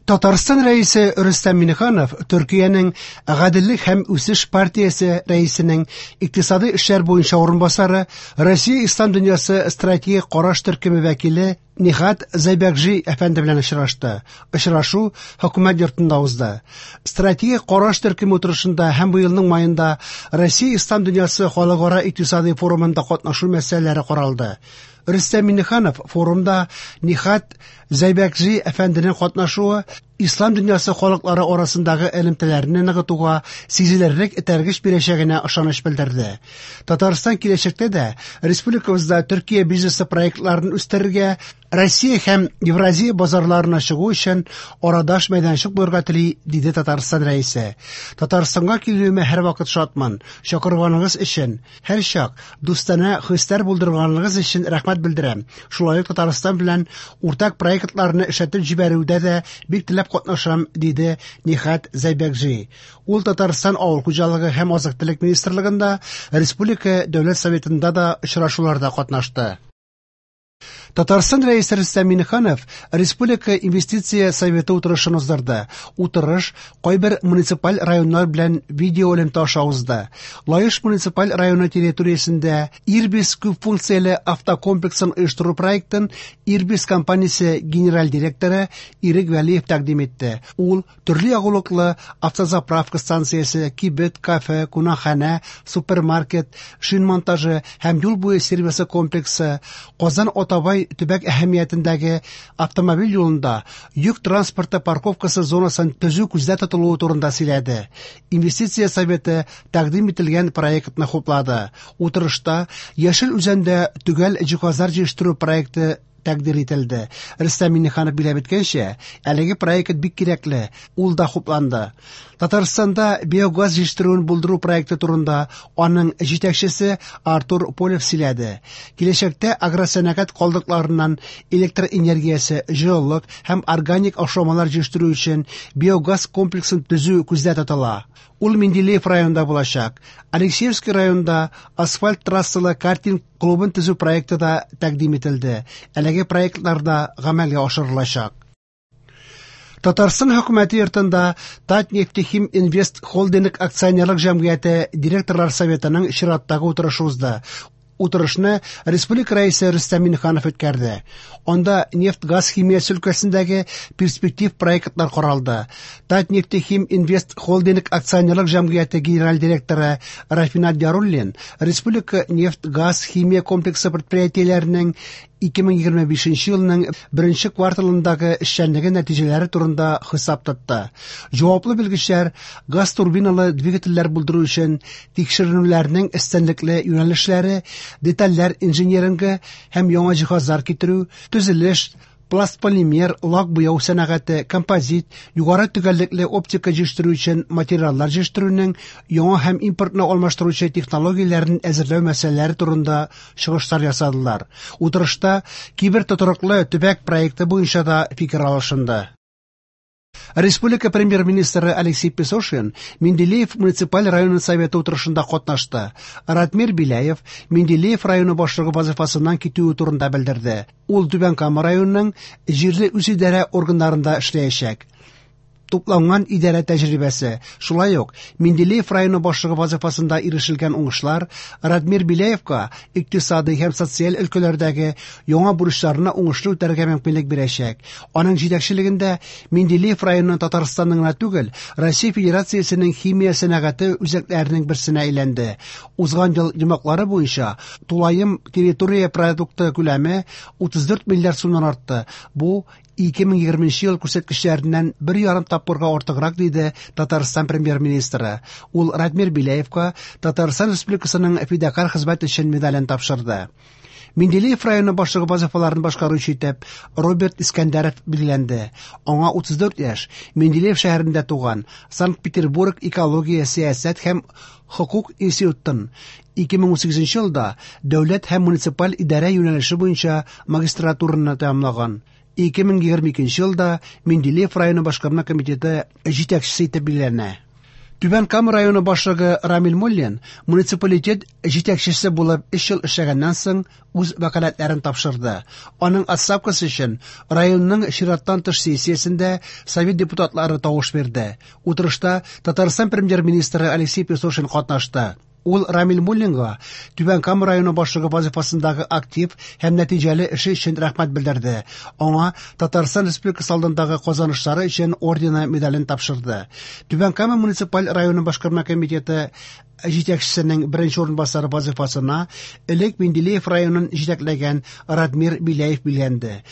Татарстан Рәисе Рөстәм Миңнеханов Төркиянең Гаделлек һәм үсеш партиясе рәисенең икътисадый эшләр буенча урынбасары, Россия Ислам дөньясы стратегик караш төркеме вәкиле Нихат Зайбәкҗи әфәнде белән очрашты. Очрашу хөкүмәт йортында узды. Стратегик караш төркеме утырышында һәм быелның маенда Россия Ислам дөньясы халыкара икътисадый форумында катнашу мәсьәләләре каралды. Рөстәм Миңнеханов форумда Нихат Зәйбәкҗи әфәнденең катнашуы ислам дөньясы халыклары арасындагы элемтәләрне ныгытуга сизелерлек этәргеч бирәчәгенә ышаныч белдерде. Татарстан киләчәктә дә республикабызда Төркия бизнесы проектларын үстерергә, Россия һәм Евразия базарларына чыгу өчен арадаш мәйданчык булырга тели, диде Татарстан Рәисе. Татарстанга килүемә һәрвакыт шатмын. Чакырганыгыз өчен һәрчак дустанә хисләр булдырганыгыз өчен рәхмәт белдерәм. Шулай ук Татарстан белән уртак проектларны эшләтеп җибәрүдә дә бик теләп катнашам, диде Нихат Зәйбәкҗи. Ул Татарстан Авыл хуҗалыгы һәм азык-төлек министрлыгында, Республика Дәүләт Советында да очрашуларда катнашты. Татарстан Рәисе Рөстәм Миңнеханов Республика инвестиция советы утырышын уздырды. Утырыш кайбер муниципаль районнар белән видеоэлемтә аша узды. Лаеш муниципаль районы территориясендә Ирбис күпфункцияле автокомплексын оештыру проектын Ирбис компаниясе генераль директоры Ирек Вәлиев тәкъдим итте. Ул төрле ягулыклы автозаправка станциясе, кибет, кафе, кунакханә, супермаркет, шин монтажы һәм юл буе сервисы комплексы, Казан-Атабай төбәк әһәмиятендәге автомобиль юлында йөк транспорты парковкасы зонасын төзү күздә тотылуы турында сөйләде. Инвестиция советы тәкъдим ителгән проектны хуплады. Утырышта Яшел Үзәндә төгәл җиһазлар җыештыру проекты тәкъдир ителде. Рөстәм Миңнеханов билгеләп үткәнчә, әлеге проект бик кирәкле, ул да хупланды. Татарстанда биогаз җитештерүен булдыру проекты турында аның җитәкчесе Артур Полев сөйләде. Киләчәктә агросәнәгать калдыкларыннан электр энергиясе, җылылык һәм органик ашламалар җитештерү өчен биогаз комплексын төзү күздә тотыла. Ул Менделеев районында булачак. Алексеевский районында асфальт трассалы картинг клубын төзү проекты да тәкъдим ителде. Әлеге проектлар да гамәлгә ашырылачак. Татарстан хөкүмәте йортында Татнефтехим Инвест Холдинг акционерлык җәмгыяте директорлар советының чираттагы утырышы узды. Утырышны республика рәисе Рөстәм Миңнеханов үткәрде. Анда нефть-газ химиясе өлкәсендәге перспектив проектлар каралды. Татнефтехим Инвест Холдинг акционерлык җәмгыяте генераль директоры Рафинат Яруллин республика нефть-газ химия комплексы предприятиеләренең 2025 елның беренче кварталындагы эшчәнлеге нәтиҗәләре турында хисап тотты. Җаваплы белгечләр газ турбиналы двигательләр булдыру өчен тикшеренүләрнең өстенлекле юнәлешләре, детальләр инжинирингы һәм яңа җиһазлар китерү, төзелеш, пластполимер, лак буяу сәнәгате, композит, югары төгәллекле оптика җитештерү өчен материаллар җитештерүнең яңа һәм импортны алмаштыручы технологияләрен әзерләү мәсьәләләре турында чыгышлар ясадылар. Утырышта кибер тотрыклы төбәк проекты буенча да фикер алышынды. Республика премьер-министры Алексей Песошин Менделеев муниципаль районы советы утырышында катнашты. Ратмир Беляев Менделеев районы башлыгы вазифасыннан китүе турында белдерде. Ул Түбән Кама районының җирле үзидарә органнарында эшләячәк. Тупланган идарә тәҗрибәсе, шулай ук Менделеев районы башлыгы вазифасында ирешелгән уңышлар Радмир Беляевка икътисадый һәм социаль өлкәләрдәге яңа бурычларны уңышлы үтәргә мөмкинлек бирәчәк. Аның җитәкчелегендә Менделеев районы Татарстанның гына түгел, Россия Федерациясенең химия сәнәгате үзәкләренең берсенә әйләнде. Узган ел йомгаклары буенча тулаем территория продукты күләме 34 миллиард сумнан артты. Бу 2020 ел күрсәткечләреннән 1,5 тапкырга артыграк, диде Татарстан премьер-министры. Ул Радмир Беляевка Татарстан Республикасының фидакарь хезмәт өчен медален тапшырды. Менделеев районы башлыгы вазифаларын башкаручы итеп Роберт Искәндәров билгеләнде. Аңа 34 яшь, Менделеев шәһәрендә туган, Санкт-Петербург экология, сәясәт һәм хокук институтын 2018 елда дәүләт һәм муниципаль идарә юнәлеше буенча магистратураны тәмамлаган. 2022 елда Менделеев районы башкарма комитеты җитәкчесе итеп билгеләнә. Түбән Кама районы башлыгы Рамил Муллин муниципалитет җитәкчесе булып 3 ел эшләгәннән соң үз вәкаләтләрен тапшырды. Аның отставкасы өчен районның чираттан тыш сессиясендә совет депутатлары тавыш бирде. Утырышта Татарстан премьер-министры Алексей Песошин катнашты. Ул Рамил Муллинга Түбән Кама районы башлыгы вазифасындагы актив һәм нәтиҗәле эше өчен рәхмәт белдерде. Аңа Татарстан Республикасы алдындагы казанышлары өчен ордены медален тапшырды. Түбән Кама муниципаль районы башкарма комитеты җитәкчесенең беренче урынбасары вазифасына элек Менделеев районын җитәкләгән Радмир Беляев билгеләнде.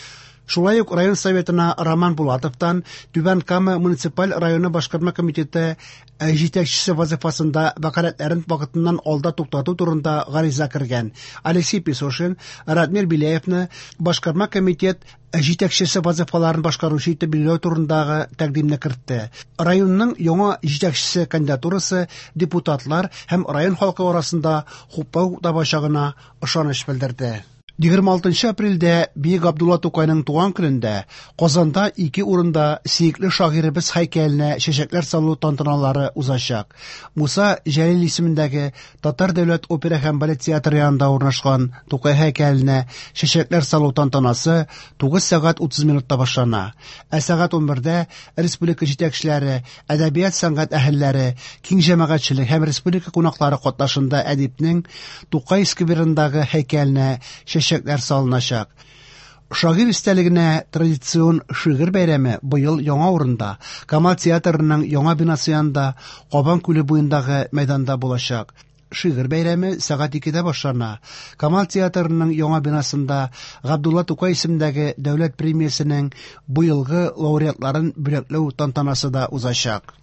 Шулай ук район советына Роман Булатовтан Түбән Кама муниципаль районы башкарма комитеты җитәкчесе вазифасында вәкаләтләрен вакытыннан алда туктату турында гариза кергән. Алексей Песошин Радмир Беляевны башкарма комитет җитәкчесе вазифаларын башкаручы итеп билгеләү турындагы тәкъдимне кертте. Районның яңа җитәкчесе кандидатурасы депутатлар һәм район халкы арасында хуплау табачагына ышаныч белдерде. 26 апрельдә Бөек Габдулла Тукайның туган көнендә Казанда ике урында сөекле шагыйребез һәйкәленә чәчәкләр салу тантаналары узачак. Муса Җәлил исемендәге Татар дәүләт опера һәм балет театры янында урнашкан Тукай һәйкәленә чәчәкләр салу тантанасы 9 сәгать 30 минутта башлана. Ә сәгать 11-дә республика җитәкчеләре, әдәбият сәнгать әһелләре, киң җәмәгатьчелек һәм республика кунаклары катнашында әдипнең Тукай скверындагы һәйкәленә чәчәкләр салыначак. Шагыйрь истәлегенә традицион шигырь бәйрәме быел яңа урында, Камал театрының яңа бинасы янында, Кабан күле буендагы мәйданда булачак. Шигырь бәйрәме сәгать 2-дә башлана. Камал театрының яңа бинасында Габдулла Тукай исемендәге дәүләт премиясенең быелгы лауреатларын бүләкләү тантанасы да узачак.